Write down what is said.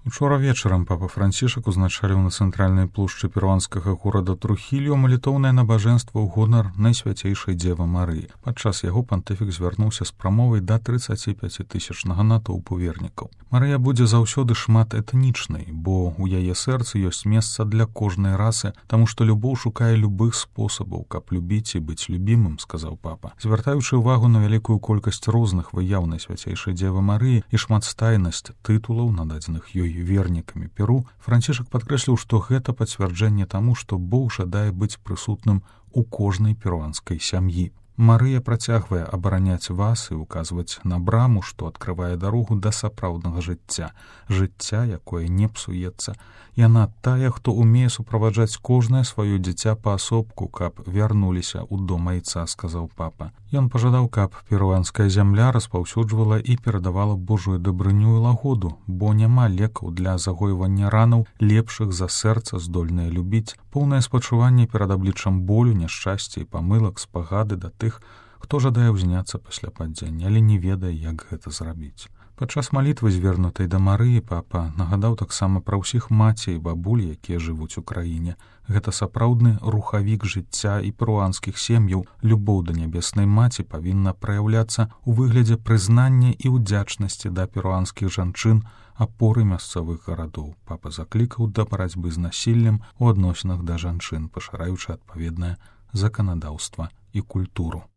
Учора вечарам папа Францішак узначаліў на цэнтральнай плошчы перуанскага горада Трухільо малітоўнае набажэнства ў гонар Найсвяцейшай Дзевы Марыі. Падчас яго пантыфік звярнуўся з прамовай да 35-тысячнага натоўпу вернікаў. Марыя будзе заўсёды шмат этнічнай, бо ў яе сэрцы ёсць месца для кожнай расы, таму што любоў шукае любых спосабаў, каб любіць і быць любімым, сказаў папа. Звяртаючы ўвагу на вялікую колькасць розных выяў Найсвяцейшай Дзевы Марыі і шматстайнасць тытулаў, нададзеных ёй вернікамі Перу, Францішак падкрэсліў, што гэта пацвярджэнне таму, што Бог жадае быць прысутным у кожнай перуанскай сям'і. Марыя працягвае абараняць вас і указваць на браму, што адкрывае дарогу да сапраўднага жыцця, якое не псуецца. Яна тая, хто умее суправаджаць кожнае сваё дзіця паасобку, каб вярнуліся ў дом айца, сказаў папа. Ён пажадаў, каб перуанская зямля распаўсюджвала і перадавала Божую дабрыню і лагоду, бо няма лекаў для загойвання ранаў, лепшых за сэрца, здольнае любіць, поўнае спачуванне перад абліччам болю, няшчасця і памылак, спагады да тых, хто жадае ўзняцца пасля падзення, але не ведае, як гэта зрабіць. Падчас малітвы, звернутай да Марыі, папа нагадаў таксама пра ўсіх маці і бабуль, якія жывуць у краіне. Гэта сапраўдны рухавік жыцця і перуанскіх сем'яў. Любоў да нябеснай маці павінна праяўляцца ў выглядзе прызнання і ўдзячнасці да перуанскіх жанчын, апоры мясцовых гарадоў. Папа заклікаў да барацьбы з насіллем у адносінах да жанчын, пашыраючы адпаведнае заканадаўства і культуру.